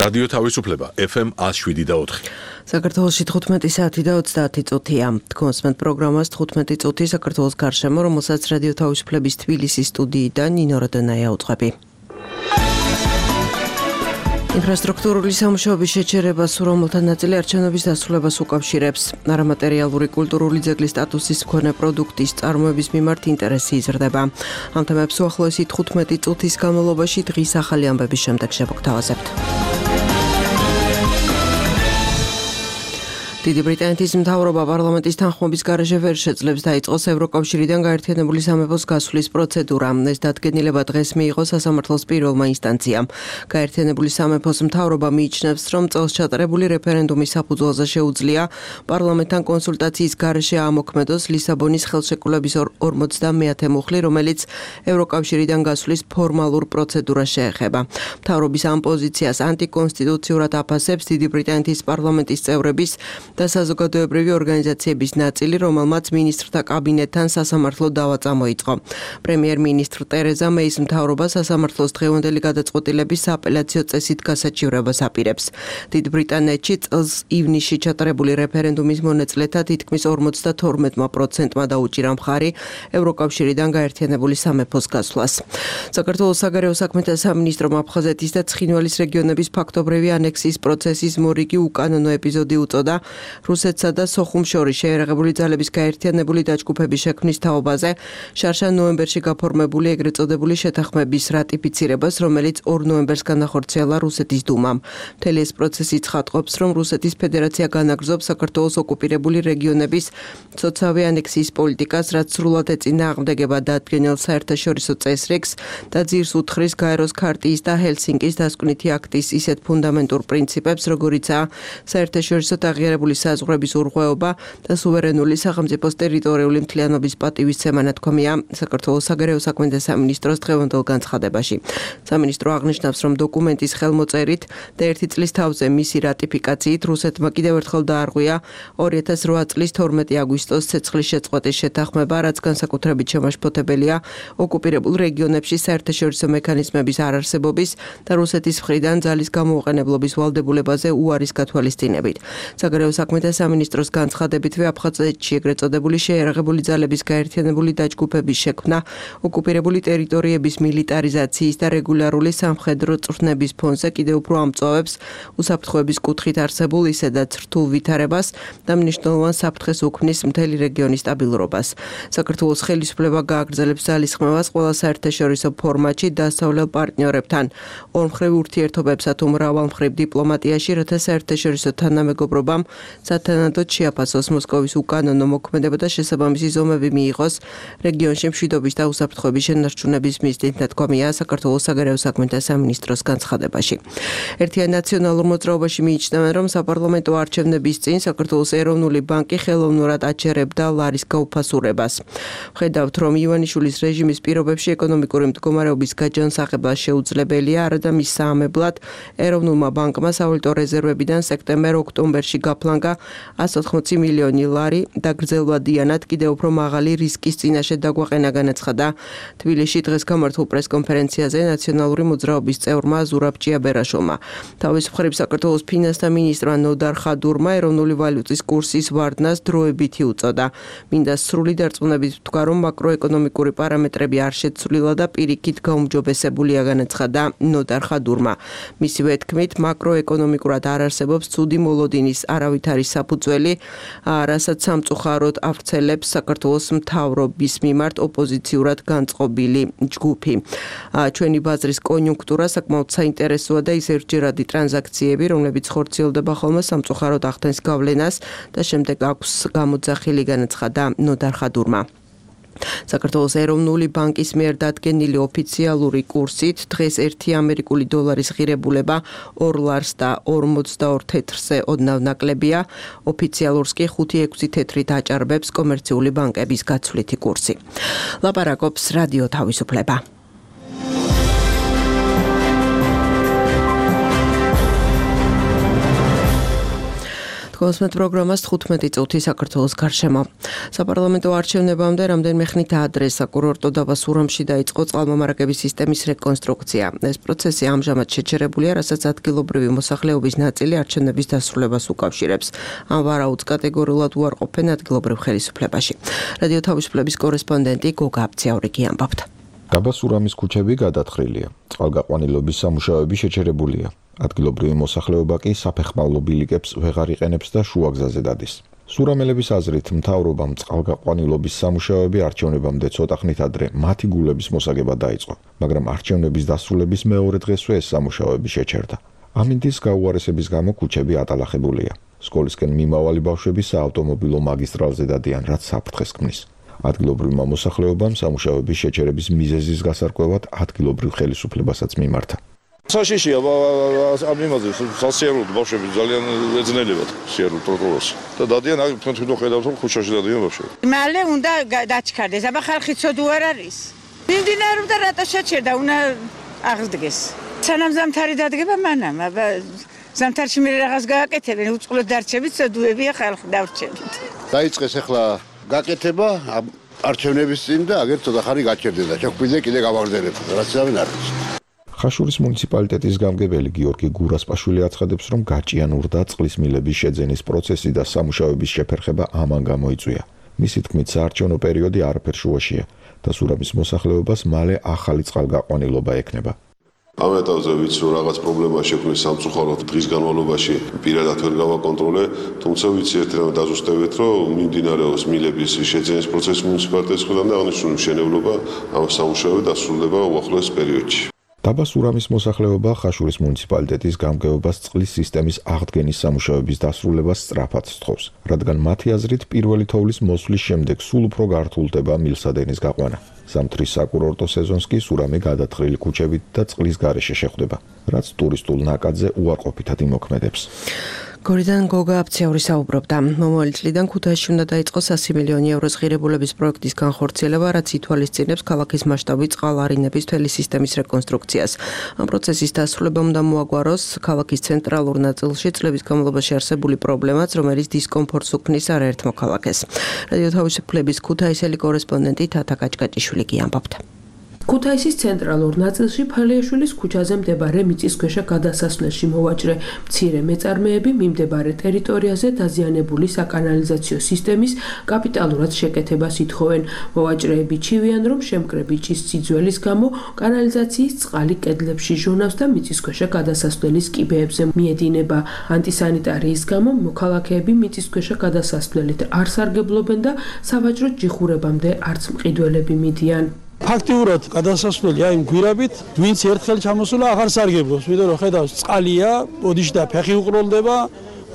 რადიო თავისუფლება FM 107.4. საქართველოში 15 საათი და 30 წუთია. Თქვენსმენთ პროგრამას 15 წუთი საქართველოს გარშემო, რომელსაც რადიო თავისუფლების თბილისის სტუდიიდან ნინო როდონაია უძღვები. ინფრასტრუქტურული სამუშაოების შეჩერებას, რომელთა ნაწილი არჩევნების დასრულებას უკავშირებს. არამატერიალური კულტურული ძეგლის სტატუსის მქონე პროდუქტის წარმოების მიმართ ინტერესი იზრდება. ამ თემებს უახლოესი 15 წუთის განმავლობაში დღის ახალი ამბების შემდეგ შევგვთავაზებთ. დიდი ბრიტანეთის მთავრობა პარლამენტის თანხმობის გარეშე ვერ შეძლებს დაიწყოს ევროკავშირიდან გაერთიანებული სამეფოს გასვლის პროცედურა. ეს დადგენილება დღეს მიიღო სასამართლოს პირველმა ინსტანციამ. გაერთიანებული სამეფოს მთავრობა მიიჩნევს, რომ წელს ჩატარებული რეფერენდუმის საფუძველზე შეუძლია პარლამენტთან კონსულტაციის გარეშე ამოქმედოს ლისაბონის ხელშეკრულების 50-მე მუხლი, რომელიც ევროკავშირიდან გასვლის ფორმალურ პროცედურას შეეხება. მთავრობის ამ პოზიციას ანტიკონსტიტუციურად აფასებს დიდი ბრიტანეთის პარლამენტის წევრების და საზოგადოებრივი ორგანიზაციების ნაწილი, რომელმაც მინისტრთა კაბინეტთან სასამართლო დავა წამოიწყო. პრემიერ-მინისტრ ტერეზა მეის მთავრობა სასამართლოს დღევანდელი გადაწყვეტილების სააპელაციო წესით გასაჩივრებას აპირებს. დიდ ბრიტანეთში წელს ივნისში ჩატარებული რეფერენდუმის მონაწილეთა თითქმის 52%-მა დაუჭირა მხარი ევროკავშირიდან გაერთიანებული სამეფოს გასვლას. საქართველოს საგარეო საქმეთა სამინისტრომ აფხაზეთის და ცხინვალის რეგიონების ფაქტობრივი ანექსიის პროცესის მორიგი უკანონო ეპიზოდი უწოდა რუსეთსა და სოხუმს შორის შეერაღებული ძალების გაერთიანებული დაჯგუფების შექმნის თაობაზე შარშან ნოემბერში გაფორმებული ეგრეთ წოდებული შეთანხმების რატიფიცირებას, რომელიც 2 ნოემბერს განახორციელა რუსეთის დუმამ. მთელი ეს პროცესი ცხადყოფს, რომ რუსეთის ფედერაცია განაგრძობს საქართველოს ოკუპირებული რეგიონების ცოცავი ანექსიის პოლიტიკას, რაც სრულად ეწინააღმდეგება დადგენილ საერთაშორისო წესრიგს და ძირს უთხრის გაეროს ქარტიის და ჰელსინკის დასკვნითი აქტის ისეთ ფუნდამენტურ პრინციპებს, როგორიცაა საერთაშორისო აღიარებული საზღვრების ურღვეობა და სუვერენული სახელმწიფოს ტერიტორიული მთლიანობის პატივისცემა ნათქვამია საქართველოს საგარეო საქმეთა სამინისტროს დღევანდელ განცხადებაში. სამინისტრო აღნიშნავს, რომ დოკუმენტის ხელმოწერით და 1 წლის თავზე მისი რატიფიკაციით რუსეთმა კიდევ ერთხელ დაარღვია 2008 წლის 12 აგვისტოს ცეცხლის შეწყვეტის შეთანხმება, რაც განსაკუთრებით შემაშფოთებელია ოკუპირებულ რეგიონებში საერთაშორისო მექანიზმების არარსებობის და რუსეთის მხრიდან ძალის გამოუყენებლობის ვალდებულებაზე უარის გათვალისწინებით. საგარეო საქმეთა სამინისტროს განცხადებითვე აფხაზეთში ეგრეთ წოდებული შეერაღებული ძალების გაერთიანებული დაჯგუფების შექმნა ოკუპირებული ტერიტორიების მილიტარიზაციის და რეგულარული სამხედრო წვრთნების ფონზე კიდევ უფრო ამწვავებს უსაფრთხოების კუთხით არსებულ ისედაც რთულ ვითარებას და მნიშვნელოვან საფრთხეს უქმნის მთელი რეგიონის სტაბილურობას. საქართველოს ხელისუფლება გააგრძელებს ძალისხმევას ყველა საერთაშორისო ფორმატში დასავლელ პარტნიორებთან, ორმხრივ ურთიერთობებსა თუ მრავალმხრივ დიპლომატიაში, რათა საერთაშორისო თანამეგობრობამ სათანადოდ შეაფასოს მოსკოვის უკანონო მოქმედება და შესაბამისი ზომები მიიღოს რეგიონში მშვიდობის და უსაფრთხოების შენარჩუნების მიზნით, ნათქვამია საქართველოს საგარეო საქმეთა სამინისტროს განცხადებაში. ერთიან ნაციონალურ მოძრაობაში მიიჩნევენ, რომ საპარლამენტო არჩევნების წინ საქართველოს ეროვნული ბანკი ხელოვნურად აჩერებდა ლარის გაუფასურებას. ვხედავთ, რომ ივანიშვილის რეჟიმის პირობებში ეკონომიკური მდგომარეობის გაჯანსაღება შეუძლებელია, არადა მის საამებლად ეროვნულმა ბანკმა სავალუტო რეზერვებიდან სექტემბერ-ოქტომბერში გაფლანგა 180 მილიონი ლარი და გრძელვადიანად კიდევ უფრო მაღალი რისკის წინაშე დაგვაყენა, განაცხადა თბილისში დღეს გამართულ პრესკონფერენციაზე ნაციონალური მოძრაობის წევრმა ზურაბ ჭიაბერაშვილმა. თავის მხრივ საქართველოს ფინანსთა მინისტრმა ნოდარ ხადურმა ეროვნული ვალუტის კურსის ვარდნას დროებითი უწოდა. მინდა სრული დარწმუნებით ვთქვა, რომ მაკროეკონომიკური პარამეტრები არ შეცვლილა და პირიქით გაუმჯობესებულია, განაცხადა ნოდარ ხადურმა. მისივე თქმით, მაკროეკონომიკურად არ არსებობს ცუდი მოლოდინის არავითარი საფუძველი, რასაც სამწუხაროდ ავრცელებს საქართველოს მთავრობის მიმართ ოპოზიციურად განწყობილი ჯგუფი. ჩვენი ბაზრის კონიუნქტურა საკმაოდ საინტერესოა და ის ერთჯერადი ტრანზაქციები, რომლებიც ხორციელდება ხოლმე სამწუხაროდ ახდენს გავლენას და შემდეგ აქვს გამოძახილი, განაცხადა ნოდარ ხადურმა. საქართველოს ეროვნული ბანკის მიერ დადგენილი ოფიციალური კურსით დღეს 1 ამერიკული დოლარის ღირებულება 2 ლარს და 42 თეთრზე ოდნავ ნაკლებია. ოფიციალურს კი 5-6 თეთრით აჭარბებს კომერციული ბანკების გაცვლითი კურსი. ლაპარაკობს რადიო თავისუფლება. თქვენს პროგრამას 15 წუთი საქართველოს გარშემო. საპარლამენტო არჩევნებამდე რამდენიმე ხნით ადრე საკურორტო დაბა სურამში დაიწყო წყალმომარაგების სისტემის რეკონსტრუქცია. ეს პროცესი ამჟამად შეჩერებულია, რასაც ადგილობრივი მოსახლეობის ნაწილი არჩევნების დასრულებას უკავშირებს. ამ ვარაუდს კატეგორიულად უარყოფენ ადგილობრივ ხელისუფლებაში. რადიო თავისუფლების კორესპონდენტი გოგა აბციაურიგი ამბობთ. დაბა სურამის ქუჩები გადათხრილია. წყალგაყვანილობის სამუშაოები შეჩერებულია. ადგილობრივი მოსახლეობა კი საფეხმავლო ბილიკებს ვეღარ იყენებს და შუაგზაზე დადის. სურამელების აზრით, მთავრობამ წყალგაყვანილობის სამუშაოები არჩევნებამდე ცოტა ხნით ადრე მათი გულების მოსაგებად დაიწყო, მაგრამ არჩევნების დასრულების მეორე დღესვე ეს სამუშაოები შეჩერდა. ამინდის გაუარესების გამო ქუჩები ატალახებულია. სკოლისკენ მიმავალი ბავშვები საავტომობილო მაგისტრალზე დადიან, რაც საფრთხეს ქმნის. ადგილობრივმა მოსახლეობამ სამუშაოების შეჩერების მიზეზის გასარკვევად ადგილობრივ ხელისუფლებასაც მიმართა. საშიშია ამ იმაზე სასიარულოდ ბავშვები ძალიან ეძნელებათ სიარულ ტროტუარს და დადიან აქ თქვენ ხედავთ რომ ქუჩაში დადიან ბავშვები. მალე უნდა დაჩქარდეს, აბა ხალხი ცოდუ არ არის. მიმდინარეობდა რატო შეჩერდა, უნდა აღდგეს. სანამ ზამთარი დადგება მანამ, აბა ზამთარში მე რაღაც გააკეთებენ, უწყლოდ დარჩებით, ცოდუებია ხალხი დავრჩებით. დაიწყეს ახლა გაკეთება არჩევნების წინ და აგერ ცოტა ხანი გაჩერდება. ჩაგვიდე კიდე გავაგრძელებ, რაც ამენ არის. ხაშურის მუნიციპალიტეტის გამგებელი გიორგი გურასპაშვილი აცხადებს, რომ გაჭიანურდა წყლის მილების შეძენის პროცესი და სამუშაოების შეფერხება ამან გამოიწვია. მისი თქმით, საარჩევნო პერიოდი არაფერ შუაშია და სურამის მოსახლეობას მალე ახალი წყალგაყვანილობა ექნება. ამ ეტაპზე ვიცი, რომ რაღაც პრობლემა შექმნეს სამწუხაროდ დღის განმავლობაში პირადად ვერ გავაკონტროლე, თუმცა ვიცი ერთ რამე დაზუსტებით, რომ მიმდინარეობს მილების შეძენის პროცესი მუნიციპალიტეტის მხრიდან და აღნიშნული მშენებლობა ამ სამუშაოები დასრულდება უახლოეს პერიოდში. დაბა სურამის მოსახლეობა ხაშურის მუნიციპალიტეტის გამგეობას წყლის სისტემის აღდგენის სამუშაოების დასრულებას სწრაფად სთხოვს, რადგან მათი აზრით პირველი თოვლის მოსვლის შემდეგ სულ უფრო გართულდება მილსადენის გაყვანა. ზამთრის საკურორტო სეზონს კი სურამი გადათხრილი ქუჩებით და წყლის გარეშე შეხვდება, რაც ტურისტულ ნაკადზე უარყოფითად იმოქმედებს. გორიდან გოგა აბციაური საუბრობდა. მომავალი წლიდან ქუთაისში უნდა დაიწყოს 100 მილიონი ევროს ღირებულების პროექტის განხორციელება, რაც ითვალისწინებს ქალაქის მასშტაბით წყალარინების მთელი სისტემის რეკონსტრუქციას. ამ პროცესის დასრულება უნდა მოაგვაროს ქალაქის ცენტრალურ ნაწილში წლების განმავლობაში არსებული პრობლემაც, რომელიც დისკომფორტს უქმნის არაერთ მოქალაქეს. რადიო თავისუფლების ქუთაისელი კორესპონდენტი თათა კაჭკაჭიშვილი ამბობდა. ქუთაისის ცენტრალურ ნაწილში ფალიაშვილის ქუჩაზე მდებარე მიწისქვეშა გადასასვლელში მოვაჭრე მცირე მეწარმეები მიმდებარე ტერიტორიაზე დაზიანებული საკანალიზაციო სისტემის კაპიტალურად შეკეთებას ითხოვენ. მოვაჭრეები ჩივიან, რომ შემკრები ჭის სიძველის გამო კანალიზაციის წყალი კედლებში ჟონავს და მიწისქვეშა გადასასვლელის კიბეებზე მიედინება. ანტისანიტარიის გამო მოქალაქეები მიწისქვეშა გადასასვლელით არ სარგებლობენ და სავაჭრო ჯიხურებამდე არც მყიდველები მიდიან. ფაქტიურად გადასასვლელი აი გვირაბით, ვინც ერთხელ ჩამოსულა აღარ სარგებლობს, ვიდრე რომ ხედავს წყალია, ოდიში და ფეხი უყროლდება,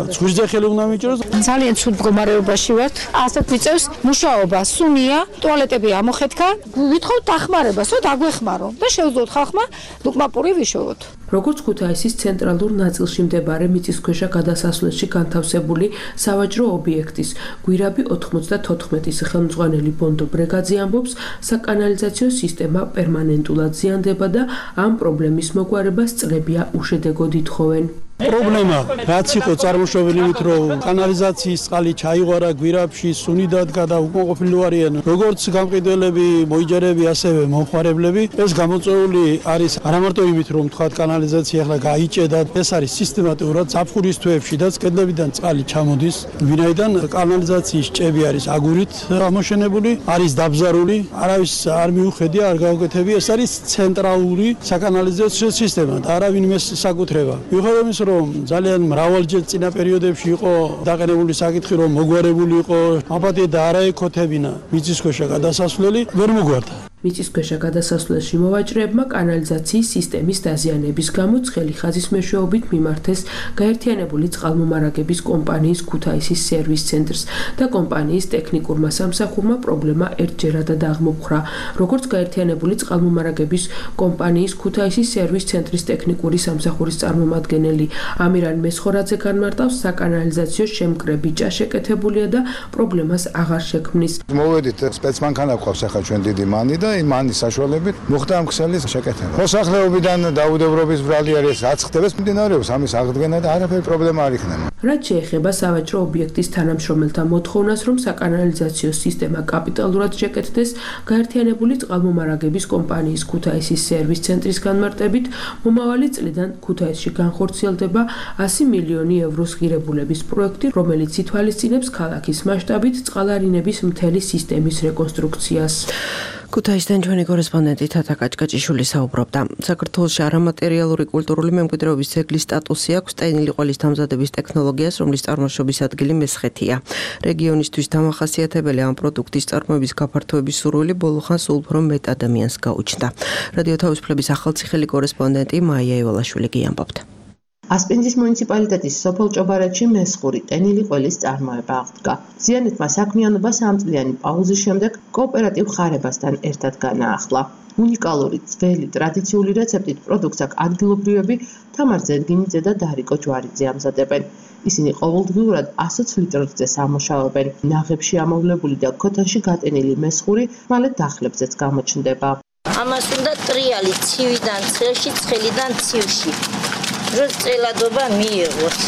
ცხვირზე ხელი უნდა მიჭროს. ძალიან ცუდ მდგომარეობაში ვართ. ასეთ ვიწევს მუშაობა, სუნია, ტუალეტები ამოხეთქა. ვითხოვთ დახმარებას, რომ დაგვეხმარო და შევძლოთ ხალხმა ლუკმაპური ვიშოვოთ. როგორც ქუთაისის ცენტრალურ ნაწილში მდებარე მიწისქვეშა გადასასვლელში განთავსებული სავაჭრო ობიექტის გვირაბი 94-ის ხელმძღვანელი ბონდო ბრეგაძე ამბობს, საკანალიზაციო სისტემა პერმანენტულად ზიანდება და ამ პრობლემის მოგვარებას წლებია უშედეგოდ ითხოვენ. პრობლემა რაც იყო წარმოშობილი მით რომ კანალიზაციის წყალი ჩაიღვარა გვირაბში, სუნი დადგა და უკმაყოფილო არიან როგორც გამყიდველები, მოიჯერები, ასევე მომხმარებლები. ეს გამოწვეული არის არამარტო იმით რომ თქვა კანალიზაცია ახლა გაიჭედა, ეს არის სისტემატურად ზაფხულის თვეებში და კედლებიდან წყალი ჩამოდის, ვინაიდან კანალიზაციის ჭები არის აგურით ამოშენებული, არის დაბზარული, არავის არ მიუხედია, არ გაუკეთებია, ეს არის ცენტრალური საკანალიზაციო სისტემა და არავინ იმას საკუთრება. მიუხედავად იმისა, რომ ძალიან მრავალჯერ წინა პერიოდებში იყო დაყენებული საკითხი, რომ მოგვარებული იყო აპატია და არაეკოთებინა მიწისქვეშა გადასასვლელი, ვერ მოგვარდა. მიწისქვეშა გადასასვლელში მოვაჭრეებმა კანალიზაციის სისტემის დაზიანების გამო ცხელი ხაზის მეშვეობით მიმართეს გაერთიანებული წყალმომარაგების კომპანიის ქუთაისის სერვის ცენტრს და კომპანიის ტექნიკურმა სამსახურმა პრობლემა ერთჯერადად აღმოფხვრა. როგორც გაერთიანებული წყალმომარაგების კომპანიის ქუთაისის სერვის ცენტრის ტექნიკური სამსახურის წარმომადგენელი ამირან მესხორაძე განმარტავს, საკანალიზაციო შემკრები ჭაშეკეთებულია და პრობლემას აღარ შექმნის. მოვედით სპეცმანქანა გვყავს ახლა ჩვენ დიდი მანი და და იმანის საშუალებით მოხდა ამ ქსელის შეკეთება. მოსახლეობიდან დაუდევრობის ბრალი არის რაც ხდება მიმდინარეობს ამის აღდგენა და არაფერი პრობლემა არ იქნება. რაც შეეხება სავაჭრო ობიექტის თანამშრომელთა მოთხოვნას, რომ საკანალიზაციო სისტემა კაპიტალურად შეკეთდეს, გაერთიანებული წყალმომარაგების კომპანიის ქუთაისის სერვის ცენტრის განმარტებით, მომავალი წლიდან ქუთაისში განხორციელდება 100 მილიონი ევროს ღირებულების პროექტი, რომელიც ითვალისწინებს ქალაქის მასშტაბით წყალარინების მთელი სისტემის რეკონსტრუქციას. ქუთაისიდან ჩვენი კორესპონდენტი თათა კაჭკაჭიშვილი საუბრობდა. საქართველოში არამატერიალური კულტურული მემკვიდრეობის ძეგლის სტატუსი აქვს ტენილი ყველის დამზადების ტექნოლოგიას, რომლის წარმოშობის ადგილი მესხეთია. რეგიონისთვის დამახასიათებელი ამ პროდუქტის წარმოების გაფართოების სურვილი ბოლო ხანს უფრო მეტ ადამიანს გაუჩნდა. რადიო თავისუფლების ახალციხელი კორესპონდენტი მაია ევალაშვილი გიამბობთ. ასპინძის მუნიციპალიტეტის სოფელ ჭობარეთში მესხური ტენილი ყველის წარმოება აღდგა. ზიანეთმა საქმიანობა 3 წლიანი პაუზის შემდეგ კოოპერატივ ხარებასთან ერთად განაახლა. უნიკალური, ძველი, ტრადიციული რეცეპტით პროდუქტს ადგილობრივები თამარ ზედგინიძე და დარიკო ჯვარიძე ამზადებენ. ისინი ყოველდღიურად 120 ლიტრზე სამუშაობენ. ნაღებში ამოვლებული და ქოთანში გატენილი მესხური მალე დახლებზეც გამოჩნდება. ამას უნდა ტრიალი ცივიდან ცხელში, ცხელიდან ცივში. რომ წელადობა მიიღოს.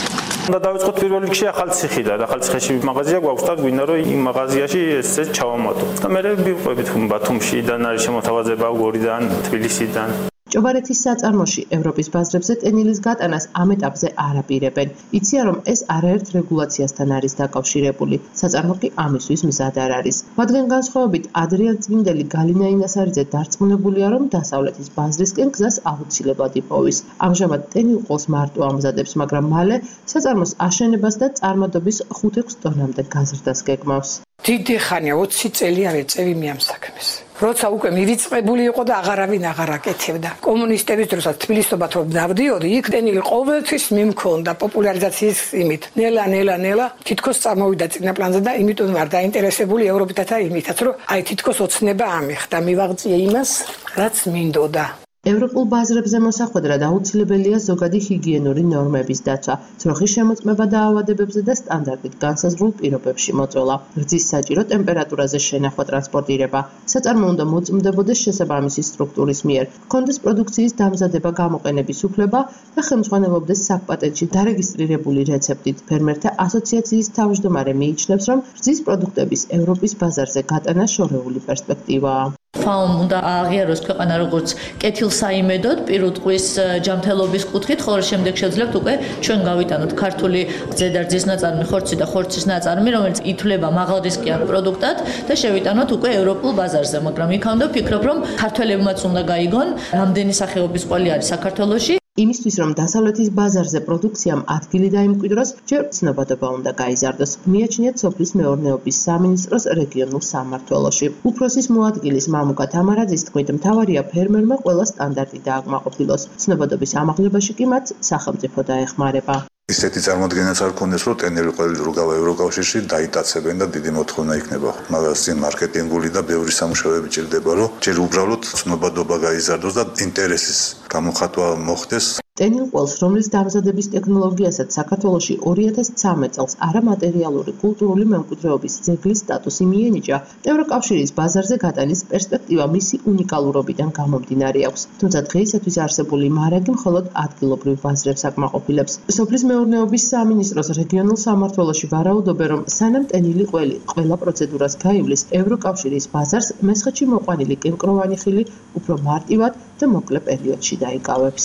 და დავიწყოთ პირველ რიგში ახალციხიდან. ახალციხეში მაღაზია გვაქვს და გვინდა რომ იმ მაღაზიაში ესე ჩავამატოთ. და მე ვიყვებით ბათუმშიდან არის შემოთავაზება გორიდან, თბილისიდან. ჭობარეთის საწარმოში ევროპის ბაზრებზე ტენილის გატანას ამ ეტაპზე არ აპირებენ. იციან რომ ეს არაერთ რეგულაციასთან არის დაკავშირებული. საწარმო კი ამისთვის მზად არ არის. მათგან განსხვავებით ადრიან წმინდელი გალინა ინასარიძე დარწმუნებულია რომ დასავლეთის ბაზრისკენ გზას აუცილებლად იპოვის. ამჟამად ტენილ ყოლს მარტო ამზადებს, მაგრამ მალე საწარმოს აშენებას და წარმადობის 5-6 ტონამდე გაზრდას გეგმავს. დიდი ხანია 20 წელი არ ეწევი მე ამ საქმეს. როცა უკვე მივიწყებული იყო და აღარავინ აღარ აკეთებდა. კომუნისტების დროსაც თბილისობათ რომ დავდიოდი, იქ ტენილი ყოველთვის მიმქონდა პოპულარიზაციის იმით. ნელა თითქოს წამოვიდა წინა პლანზე და იმიტომ ვარ დაინტერესებული ევროპითათა იმითაც, რომ აი თითქოს ოცნება ამიხდა, მივაღწია იმას, რაც მინდოდა. ევროპულ ბაზრებზე მოსახვედრად აუცილებელია ზოგადი ჰიგიენური ნორმების დაცვა, ძროხის შემოწმება დაავადებებზე და სტანდარტით განსაზღვრულ პირობებში მოწვევა. რძის საჭირო ტემპერატურაზე შენახვა, ტრანსპორტირება. საწარმო უნდა მოწმდებოდეს შესაბამისი სტრუქტურის მიერ, ჰქონდეს პროდუქციის დამზადება, გამოყენების უფლება და ხელმძღვანელობდეს საკპატენტში დარეგისტრირებული რეცეპტით. ფერმერთა ასოციაციის თავმჯდომარე მიიჩნევს, რომ რძის პროდუქტების ევროპის ბაზარზე გატანა შორეული პერსპექტივაა. ფაომ უნდა აღიაროს ქვეყანა როგორც კეთილსაიმედოდ პირუტყვის ჯანმრთელობის კუთხით, ხოლო შემდეგ შეძლებთ უკვე ჩვენ გავიტანოთ ქართული ზედარძის ნაწარმი, ხორცი და ხორცის ნაწარმი, რომელიც ითვლება მაღალრისკიან პროდუქტად და შევიტანოთ უკვე ევროპულ ბაზარზე, მაგრამ იქამდე ვფიქრობ, რომ ქართველებმაც უნდა გაიგონ, რამდენი სახეობის ყველი არის საქართველოში. იმისთვის რომ დასავლეთის ბაზარზე პროდუქციამ ადგილი დაიმკვიდროს, ჯერ ცნობადობა უნდა გაიზარდოს. მიაჩნიათ სოფლის მეურნეობის სამინისტროს რეგიონულ სამმართველოში. უფროსის მოადგილის მამუკა თამარაძის თქმით, მთავარია ფერმერმა ყველა სტანდარტი დააკმაყოფილოს. ცნობადობის ამაღლებაში კი მათ სახელმწიფო დაეხმარება. ისეთი წარმოადგენაც არ ქონდეს, რომ ტენელი ყველი როგავა ევროკავშირში დაიტაცებენ და დიდი მოთხოვნა იქნება. მაგას წინ მარკეტინგული და ბევრი სამუშაოები ჭირდება, რომ ჯერ უბრალოდ ცნობადობა გაიზარდოს და ინტერესის გამოხატვა მოხდეს. ტენილ ყველს, რომლის დამზადების ტექნოლოგიასაც საქართველოში 2013 წელს არამატერიალური კულტურული მემკვიდრეობის ძეგლის სტატუსი მიენიჭა, ევროკავშირის ბაზარზე გატანის პერსპექტივა მისი უნიკალურობიდან გამომდინარე აქვს. თუმცა დღეისათვის არსებული მარაგი მხოლოდ ადგილობრივ ბაზრებს აკმაყოფილებს. სოფლის მეურნეობის სამინისტროს რეგიონულ სამმართველოში ვარაუდობენ, რომ სანამ ტენილი ყველი ყველა პროცედურას გაივლის, ევროკავშირის ბაზარს მესხეთში მოყვანილი კენკროვანი ხილი უფრო მარტივად და მოკლე პერიოდში დაიკავებს.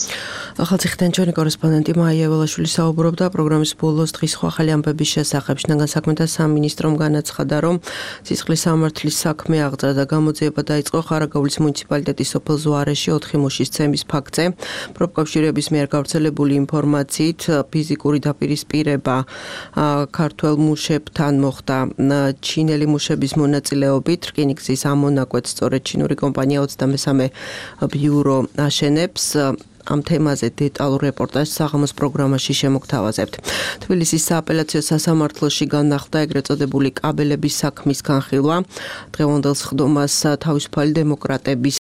ახალციხიდან ჩვენი კორესპონდენტი მაია ევალაშვილი საუბრობდა პროგრამის ბოლოს დღის სხვა ახალი ამბების შესახებ. შინაგან საქმეთა სამინისტრომ განაცხადა, რომ სისხლის სამართლის საქმე აღძრა და გამოძიება დაიწყო ხარაგაულის მუნიციპალიტეტის სოფელ ზუარეში 4 მუშის ცემის ფაქტზე. პროფკავშირების მიერ გავრცელებული ინფორმაციით ფიზიკური დაპირისპირება ქართველ მუშებთან მოხდა ჩინელი მუშების მონაწილეობით. რკინიგზის ამონაკვეთს სწორედ ჩინური კომპანია 23 ბიურო აშენებს. ამ თემაზე დეტალურ რეპორტაჟს საღამოს პროგრამაში შემოგთავაზებთ. თბილისის სააპელაციო სასამართლოში განახლდა ეგრეთ წოდებული კაბელების საქმის განხილვა. დღევანდელ სხდომას თავისუფალი დემოკრატების